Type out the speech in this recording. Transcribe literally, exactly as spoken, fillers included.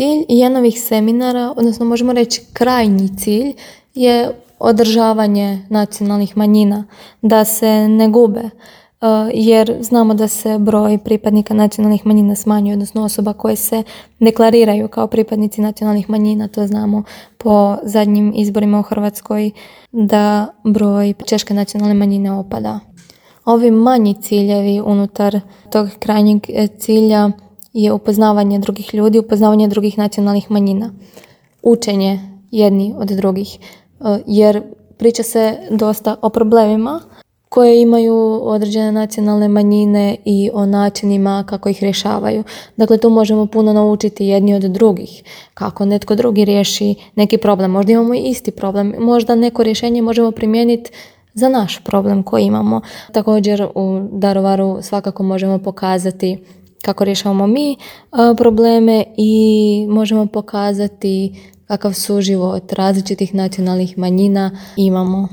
Cilj jednovih seminara, odnosno možemo reći krajnji cilj, je održavanje nacionalnih manjina, da se ne gube, jer znamo da se broj pripadnika nacionalnih manjina smanjuje, odnosno osoba koje se deklariraju kao pripadnici nacionalnih manjina, to znamo po zadnjim izborima u Hrvatskoj, da broj češke nacionalne manjine opada. Ovi manji ciljevi unutar tog krajnjeg cilja je upoznavanje drugih ljudi, upoznavanje drugih nacionalnih manjina, učenje jedni od drugih, jer priča se dosta o problemima koje imaju određene nacionalne manjine i o načinima kako ih rješavaju. Dakle, tu možemo puno naučiti jedni od drugih, kako netko drugi riješi neki problem. Možda imamo i isti problem, možda neko rješenje možemo primijeniti za naš problem koji imamo. Također u Daruvaru svakako možemo pokazati kako rješavamo mi probleme i možemo pokazati kakav suživot različitih nacionalnih manjina imamo.